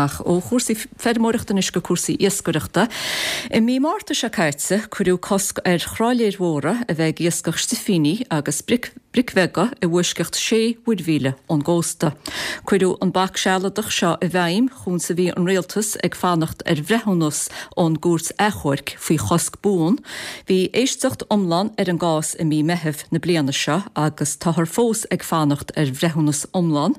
Ach ó chúrsaí feirmeoireachta anois go cúrsaí iascaireachta. I mí Márta seo caite, cuireadh cosc ar thrálaeir mhóra a bheith ag iascach stifíní agus bric bheaga i bhfoisceacht sé mhuirmhíle ón gcósta. Cuireadh an bac sealadach seo i bhfeidhm chúns a bhí an Rialtas ag fanacht ar bhreithiúnas ón gCúirt Achomhairc faoi chosc buan. Bhí éisteacht iomlán ar an gcás i mí Meithimh na bliana seo agus táthar fós ag fanacht ar bhreithiúnas iomlán.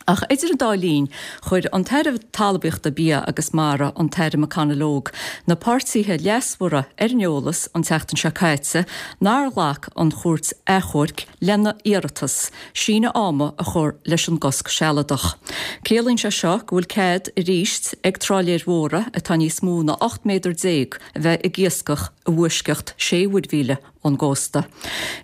Ach idir an dá linn, chuir an tAire Talmhaíochta, Bia agus Mara, an tAire McConalogue, na páirtithe leasmhara ar an eolas an tseachtain seo caite nár ghlac an Chúirt Achomhairc lena iarratas síneadh ama a chur leis an gcosc sealadach. Ciallaíonn sé seo go bhfuil cead arís ag trálaeir mhóra atá níos mó ná 18 méadar a bheith ag iascach i bhfoisceacht sé mhuirmhíle ón gcósta.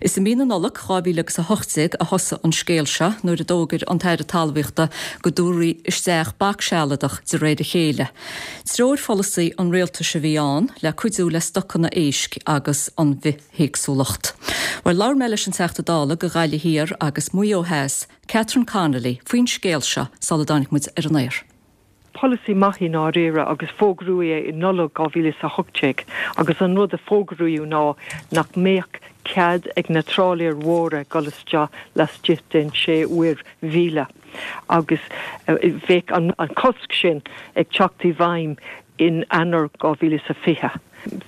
Is i mí na Nollag 2018 a thosaigh an scéal seo nuair a d'fhógair an tAire Talmhaíochta go dtabharfaí isteach bac sealadach de réir a chéile. Treoirpholasaí an rialtais a bhí ann le cuidiú le stocanna éisc agus an bhithéagsúlacht. Bhuel, labhair mé leis an Teachta Dála do Ghaillimh Thiar agus Maigh Eo Theas, Catherine Connolly, faoin scéal seo sula dtáinig muid ar an aer. Polasaí maith i ndáiríre agus fógraíodh é i Nollaig 2018 agus an rud a fógraíodh ná nach mbeadh cead ag na trálaeir mhóra dul isteach laistigh den sé mhuir mhíle agus bheadh an cosc sin ag teacht i bhfeidhm in Eanáir 2020.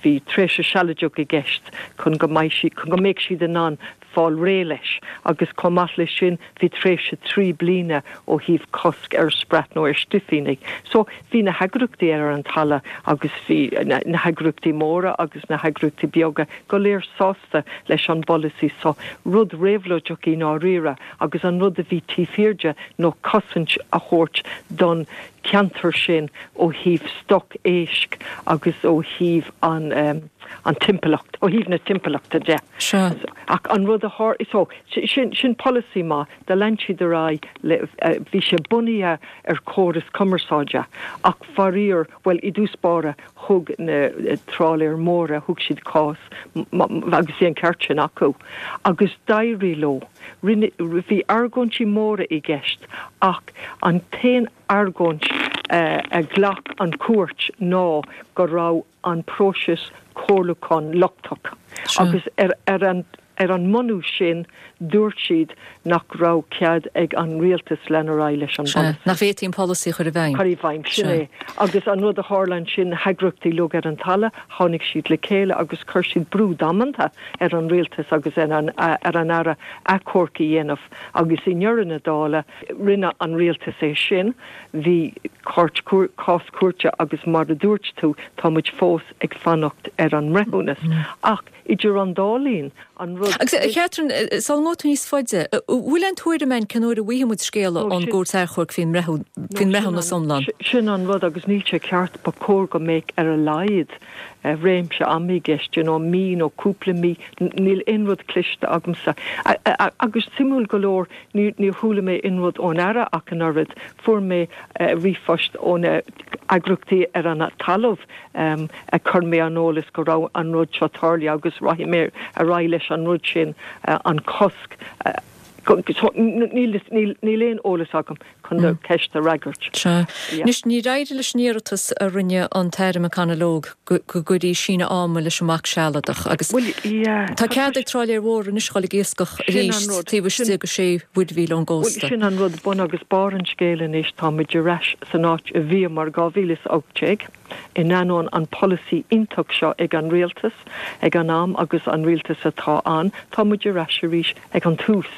Bhí tréimhse sealadach i gceist chun go mbeidh siad, chun go mbeadh siad in ann fáil réidh leis agus chomh maith leis sin bhí tréimhse 3 bliana ó thaobh cosc ar sprat nó ar stifíní. So bhí na heagraíochtaí ar an talamh agus bhí na heagraíochtaí móra agus na heagraíochtaí beaga go léir sásta leis an bpolasaí so. Rud réabhlóideach i ndáiríre agus an rud a bhí taobh thiar de nó cosaint a thabhairt don cheantar sin ó thaobh stoc éisc agus ó thaobh an an timpeallacht, ó thaobh na timpeallachta de. Sea. Ach an rud a tharla, so, sin, sin polasaí maith, do lean siad ar aghaidh le, bhí sé bunaithe ar chóras cumarsáide ach faraor, bhuel, i dtús báire thug na trálaeir mhóra, thug siad cás agus bhí an ceart sin acu agus d'éirigh leo. Rinne, bhí argóintí móra i gceist ach an t-aon argóint a ghlac an chúirt ná go raibh an próiseas comhairliúcháin lochtach agus ar an ar an mbunús sin dúirt siad nach raibh cead ag an rialtas lean ar aghaidh leis an bpolasaí. Nach bhféadfaí an polasaí a chur i bhfeidhm. Cur i bhfeidhm, sin é. Agus an rud a tharla ansin, na heagraíochtaí uilig ar an talamh, tháinig siad le chéile agus chuir siad brú damanta ar an rialtas agus ar an ar an Aire achomharc a dhéanamh agus i ndeireadh na dála rinne an rialtas é sin. Bhí cás cúirte agus mar a dúirt tú, tá muid fós ag fanacht ar an mbreithiúnas. Ach idir an dá linn, an rud. Agus a Chatherine, sula ngabhfaidh tú níos faide, an bhfuil aon tuairim againn cén uair a bhfaighidh muid scéala ón gCúirt Achomhairc faoin mbreithiúnas iomlán? Sin an rud agus níl sé ceart, ba chóir go mbeadh ar a laghad réimse ama i gceist, you know, mí nó cúpla mí, níl aon rud cloiste agamsa. Agus suimiúil go leor, Níor chuala mé aon rud ón Aire ach an oiread. Fuair mé ríomhphost ó na heagraíochtaí ar an talamh ag cur mé ar an eolas go raibh an rud seo tarlaithe agus rachaidh mé ar aghaidh leis an rud sin, an cosc. Níl aon eolas agam. chun do cheist a fhreagairt. Sea. Anois, níor éirigh leis an iarratas a rinne an tAire McConalogue go gcuirfí síneadh ama leis an mbac sealadach agus tá cead ag trálaeir mhóra anois a dhul ag iascach arís taobh istigh de sé mhuirmhíle ón gcósta. Bhuel, sin an rud, bun agus barr an scéil anois, tá muid ar ais san áit a bhíomar 2018. In ainneoin an polasaí iontach seo ag an rialtas ag an am agus an rialtas atá ann, tá muid ar ais arís ag an tús.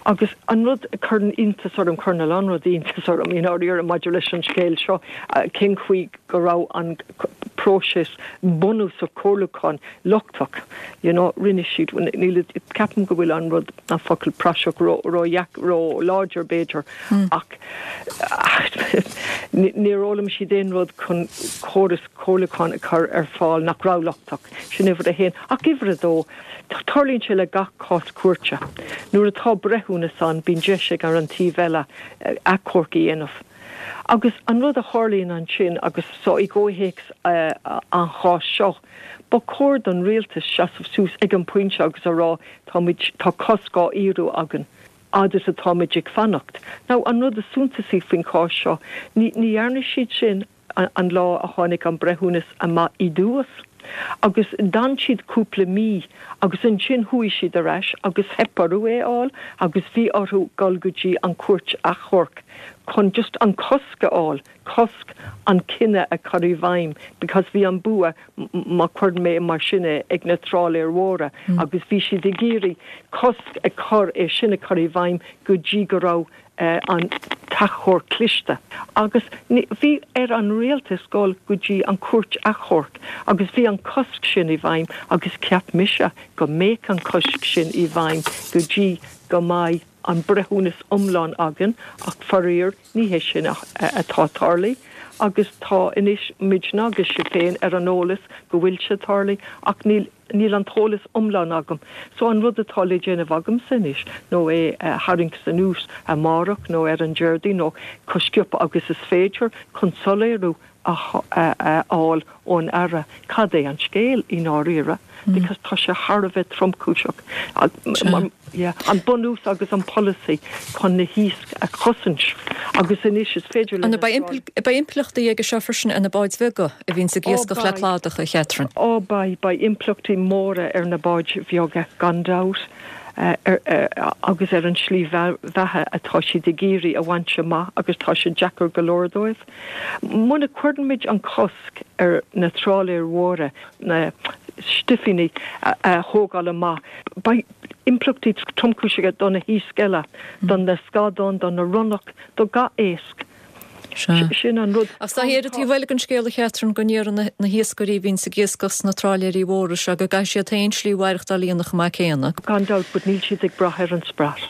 Agus an rud a chuireann iontas orm, cuireann a lán rudaí iontas orm i ndáiríre maidir leis an scéal seo, cén chaoi go raibh an próiseas bunúsach comhairliúcháin lochtach, you know, rinne siad, níl, ceapaim go bhfuil an rud, an focal praiseach ró, ró, ró láidir b'fhéidir ach níor fhoghlaim siad aon rud chun córas comhairliúcháin a chur ar fáil nach raibh lochtach. Sin uimhir a haon. Ach uimhir a dó, tarlaíonn sé le gach cás cúirte. Nuair atá breithiúnas ann, bíonn deis ag an taobh eile achomharc a dhéanamh. Agus an rud a tharlaíonn ansin, agus so i gcomhthéacs an cháis seo, ba chóir don rialtas seasamh suas ag an bpointe agus a rá, tá muid, tá cosc á fhíorú againn. Fhad is atáimid ag fanacht. Now, an rud is suntasaí faoin chás seo, ní dhearna siad sin an lá a tháinig an breithiúnas amach i dtús. Agus d'fhan siad cúpla mí agus ansin chuaigh siad ar ais agus theip orthu é a fháil agus bhí orthu dul go dtí an Chúirt Achomhairc chun just an cosc a fháil. cosc an cinneadh a chur i bhfeidhm because bhí an bua, má chuireann mé mar sin é, ag na trálaeir mhóra agus bhí siad ag iarraidh cosc a chur, é sin a chur i bhfeidhm go dtí go raibh an t-achomharc cliste. Agus bhí ar an rialtas dul go dtí an chúirt achomhairc agus bhí an cosc sin i bhfeidhm agus cheap mise go mbeadh an cosc sin i bhfeidhm go dtí go mbeidh an breithiúnas iomlán againn ach faraor ní hé sin atá tarlaithe agus tá anois muidne agus sibh féin ar an eolas go bhfuil sé tarlaithe ach níl níl an t-eolas iomlán agam so an rud atá le déanamh agamsa anois nó é a tharraingt anuas amárach nó ar an Déardaoin nó chomh sciobtha agus is féidir chun soiléiriú a fháil ón Aire cad é an scéal i ndáiríre because tá sé thar a bheith tromchúiseach. Yeah, an bunús agus an polasaí chun na hiasc a chosaint agus anois is féidir linn. Beidh impleachtaí aige seo freisin ar na báid bheaga a bhíonns ag iascach le cladach, a Chatherine. Ó beidh, beidh impleachtaí móra ar na báid bheaga gan dabht agus ar an slí bheatha atá siad ag iarraidh a bhaint amach agus tá sé deacair go leor dóibh. Muna gcuirimid an cosc ar na trálaeir mhóra na stifíní a thógáil amach, beidh impleachtaí tromchúiseacha do na hiasc eile, do na scadáin, do na ronnach, do gach éasc. Sin an rud. Ach tá ar an taobh eile den scéal, a Chatherine, go ndéarfaidh na hiascairí a bhíonns ag iascach sna trálaeirí mhóra seo go gcaithfidh siad féin slí mhaireachtáil a dhéanamh chomh maith céanna. Gan dabht, but níl siad ag brath ar an sprat.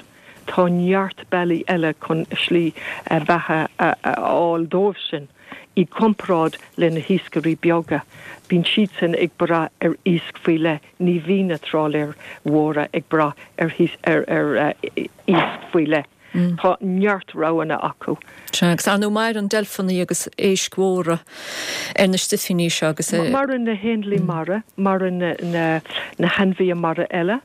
Tá neart bealaí eile chun slí bheatha a fháil dóibh sin, i gcomparáid le na hiascairí beaga. Bíonn siadsan ag brath ar iasc faoi leith, ní bhíonn na trálaeir mhóra ag brath ar iasc faoi leith. Tá neart roghanna acu. Sea, agus ar ndóigh maireann deilfeanna agus éisc mhóra ar na stifíní seo agus. Maireann na héanlaith mara, maireann na hainmhithe mara eile.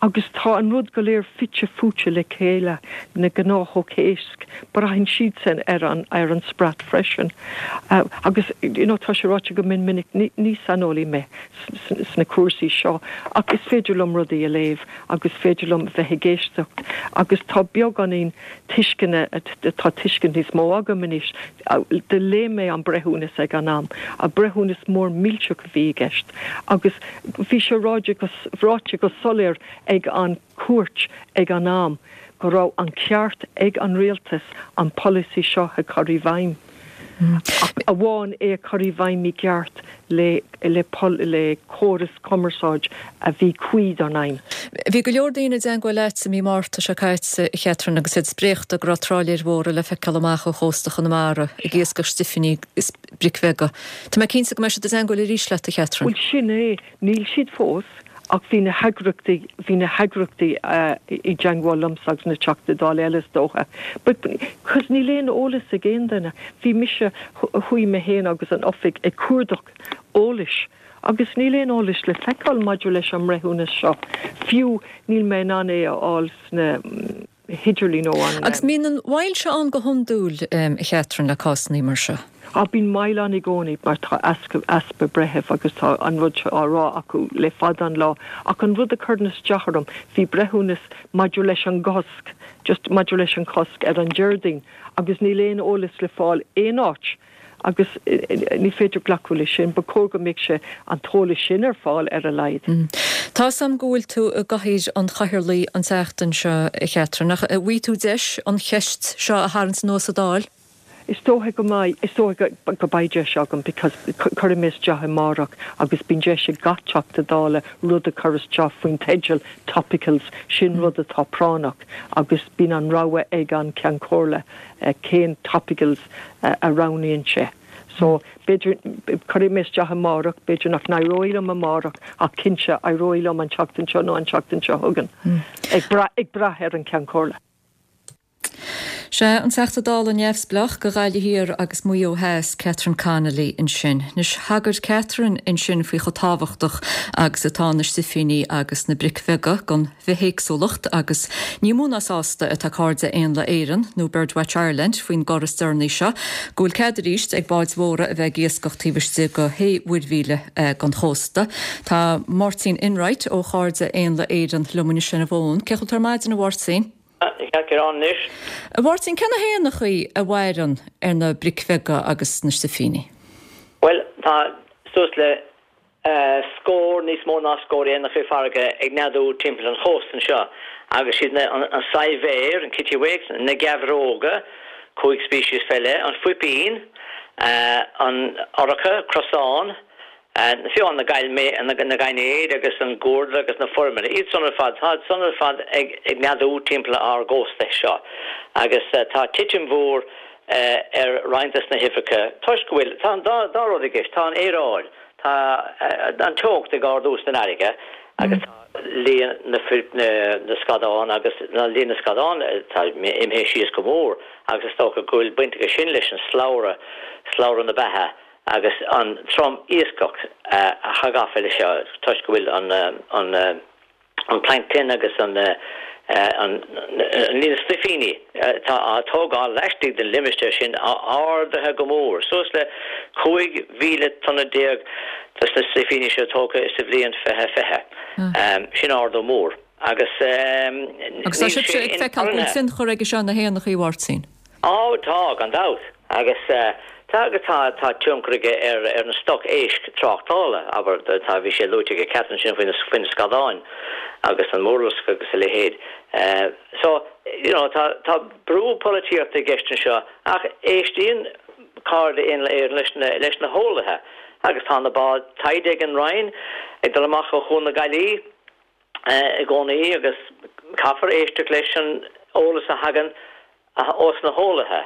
Agus tá an rud go léir fite fuaite le chéile, na gnáthóga éisc, braitheann siadsan ar an, ar an sprat freisin. Agus, you know, tá sé ráite go mion minic, ní, ní saineolaí mé sna cúrsaí seo, ach is féidir liom rudaí a léamh agus is féidir liom bheith ag éisteacht agus tá beagáinín tuisceana, tá tuiscint níos mó agam anois. Do léigh mé an breithiúnas ag an am, breithiúnas mór millteach a bhí i gceist agus bhí sé ráite go, ráite go soiléir ag an chúirt ag an am go raibh an ceart ag an rialtas an polasaí seo a chur i bhfeidhm, ach amháin é a chur i bhfeidhm i gceart le le le córas cumarsáid a bhí cuí don fheidhm. Bhí go leor daoine i dteangmháil leat i mí Márta seo caite, a Chatherine, agus iad spréachta go raibh trálaeir mhóra le feiceáil amach ó chósta Chonamara ag iascach stifíní is bric bheaga. Tá mé cinnte go mbeidh siad i dteangmháil arís leat, a Chatherine. Bhuel, sin é. Níl siad fós, ach bhí na heagraíochtaí, bhí na heagraíochtaí i dteangmháil liomsa agus na Teachtaí Dála eile is dócha. But, cos níl aon eolas ag aon duine. Bhí mise, chuaigh mé féin agus an oifig ag cuardach eolais agus níl aon eolas le feiceáil maidir leis an mbreithiúnas seo. Fiú níl mé in ann é a fháil sna. hidirlíon ó an. Agus mbíonn an mhoill seo ann go hiondúil, a Chatherine, le cásanna mar seo? Á, bíonn moill ann i gcónaí mar tá easpa breitheamh agus tá an rud seo á rá acu le fada an lá. Ach an rud a chuireann isteach orm, bhí breithiúnas maidir leis an gcosc, just maidir leis an chosc ar an Déardaoin agus níl aon eolas le fáil aon áit. Agus ní féidir glacadh leis sin. Ba chóir go mbeadh sé an t-eolas sin ar fáil ar a laghad. Tá 'fhios a'm go bhfuil tú i gcathaoir an chathaoirligh an tseachtain seo, a Chatherine, ach an bhfaighidh tú deis an cheist seo a tharraingt anuas sa Dáil? Is dócha go mbeidh. Is dócha go mbeidh deis agam because cuirfidh mé isteach amárach agus bíonn deis ag gach Teachta Dála rud a chur isteach faoin teideal topicals, sin rud atá práinneach agus bíonn an rogha ag an Ceann Comhairle cén topicals a roghnaíonn sé. So, b'fhéidir, cuirfidh mé isteach amárach, b'fhéidir nach n-éireoidh liom amárach ach cinnte éireoidh liom an tseachtain seo nó an tseachtain seo chugainn, ag brath, ag brath ar an Ceann Comhairle. Sea, an Teachta Dála neamhspleách do Ghaillimh Thiar agus Maigh Eo Theas, Catherine Connolly ansin. Anois, thagair Catherine ansin faoi chomh tábhachtach agus atá na sifíní agus na bric bheaga don bhithéagsúlacht agus ní mó ná sásta atá Cairde Éanlaith Éireann, nó Birdwatch Ireland, faoin gcor is deireanaí seo, go bhfuil cead arís ag báid mhóra a bheith ag iascach taobh istigh de shé mhuirmhíle den chósta. Tá Máirtín Enright ó Chairde Éanlaith Éireann liom anois ar an bhfón. Cén chaoi a bhfuil tú ar maidin, a Mháirtín? Ceart go leor anois. A Mháirtín, cé na héanachaí a mhaireann ar na bric bheaga agus na sifíní? Bhuel, tá suas le scór, níos mó ná scór éanachaí farraige ag neadú timpeall an chósta anseo agus siad na, an saidhbhéar, an kittiwake, na geabhróga, 5 speiceas fé leith, an fuipín, an urcha, crosán, fiú na na gainéid agus an guairdeall agus na foirmile, iad san ar fad, tá san ar fad ag neadú timpeall ár gcósta seo agus tá titim mhór ar roinnt des na huibheacha toisc go bhfuil, tá an dá rud i gceist, tá an aeráid, tá an teocht ag ardú san fharraige agus tá líon na na scadán agus líon na scadán tá imithe síos go mór agus is dócha go bhfuil baint aige sin leis an slabhra, slabhra na beatha agus an trom iascach atá gafa leis seo toisc go bhfuil an an an plancton agus an an líon stuifíní atá á tógáil laistigh den limistéar sin ardaithe go mór, suas le 15 mhíle tonna de na stuifíní seo tógtha sa bhliain 2020. Sin ardú mór agus Agus tá níl sibhse sé ag feiceáil go bhfuil inmharthana. tionchar aige seo ar na héanachaí, a Mháirtín? Á, tá, gan dabht. Agus tá, agus tá, tá tionchar aige ar, ar an stoc éisc tráchtála, abair, tá, bhí sé luaite ag Catherine ansin faoi na, faoi na scadáin agus an murlasc agus a leithéid. So, you know, tá, tá brú polaitíochta i gceist anseo ach éistíonn Cairde Éanlaith Éireann leis na, leis na heolaithe agus tá na báid taighde ag an Roinn ag dul amach ó Chuan na Gaillimhe i gcónaí agus caithfear éisteacht leis an eolas a thagann ós na heolaithe.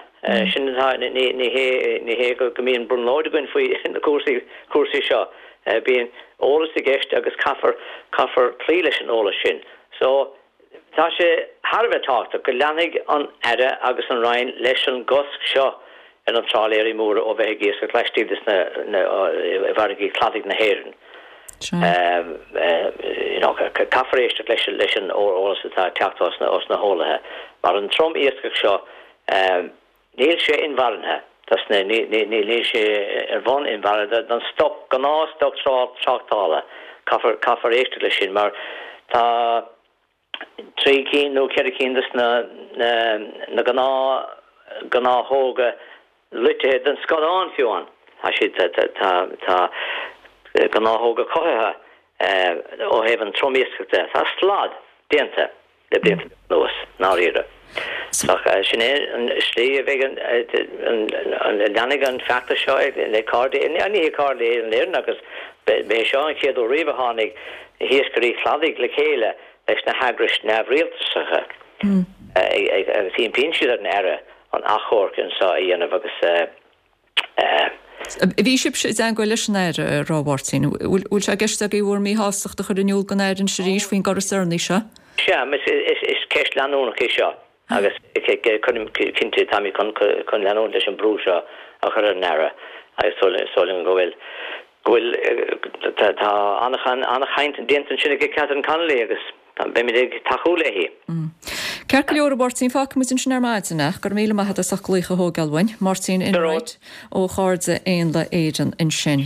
Sin atá, ní hé, ní hé go mbíonn brionglóid againn faoi na cúrsaí, cúrsaí seo. Bíonn eolas i gceist agus caithfear, caithfear cloí leis an eolas sin. So, tá sé thar a bheith tábhachtach go leanfaidh an Aire agus an Roinn leis an gcosc seo ar na trálaeirí móra ó bheith ag iascach laistigh de sna i bhfarraigí cladaigh na hÉireann. You know, caithfear éisteacht leis leis an eolas atá ag teacht ós na ós na heolaithe. Mar an trom iascach seo, níl sé inmharthana dos na ní ní níl sé ar bhonn inmharthana don stoc gnáth stoc tráchtála. Caithfear caithfear éisteacht leis sin mar tá 3 cinn nó 4 cinn de na gnáth gnáthóga loitithe den scadán fiú amháin. Tá siad tá tá gnáthóga cothaithe ó thaobh an trom-iascach de. Tá slad déanta le blianta beaga anuas, i ndáiríre. Ach sin é an slí a bheidh an an leanfaidh an feachtas seo le Cairde ní hé Cairde Éanlaith Éireann agus b'é seo an chéad uair riamh a tháinig na hiascairí cladaigh le chéile leis na heagrais neamhrialtasacha agus impíonn siad ar an Aire an achomharc anseo a dhéanamh agus Bhí sibhse i dteangmháil leis an Aire, a Mháirtín. Bhfuil sé i gceist agaibh bhur míshástacht a chur in iúl don Aire anois arís faoin gcor is deireanaí seo? Sea, is ceist leanúnach í seo agus cinnte táimid chun leanúint leis an brú seo a chur ar an Aire agus súil agam go bhfuil go bhfuil tá an-chaint déanta ansin ag Catherine Connolly agus beimid ag tacú léi. Ceart go leor, a Mháirtín, fágfaidh muid ansin ar maidin ach go raibh míle maith agat as ucht glaoch a thógáil uainn. Máirtín Enright ó Chairde Éanlaith Éireann ansin.